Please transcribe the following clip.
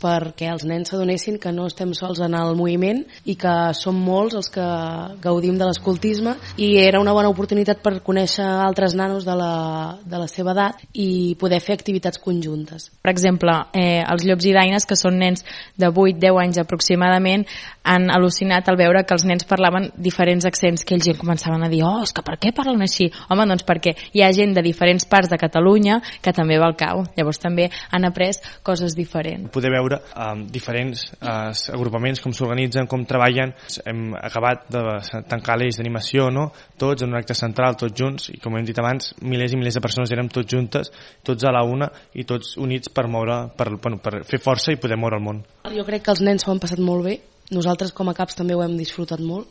perquè els nens s'adonessin que no estem sols en el moviment i que som molts els que gaudim de l'escoltisme, i era una bona oportunitat per conèixer altres nanos de la seva edat i poder fer activitats conjuntes. Per exemple, els llops i daines, que són nens de 8-10 anys aproximadament, han al·lucinat al veure que els nens parlaven diferents accents, que ells ja començaven a dir és que per què parlen així? Home, doncs perquè hi ha gent de diferents parts de Catalunya que també va al cau, llavors també han après coses diferents. Poder veure diferents agrupaments, com s'organitzen, com treballen. Hem acabat de tancar l'eix d'animació, no? Tots en un acte central, tots junts, i com hem dit abans, milers i milers de persones érem tots juntes, tots a la una i tots units per fer força i poder moure el món. Jo crec que els nens s'ho han passat molt bé, nosaltres com a CAPS també ho hem disfrutat molt.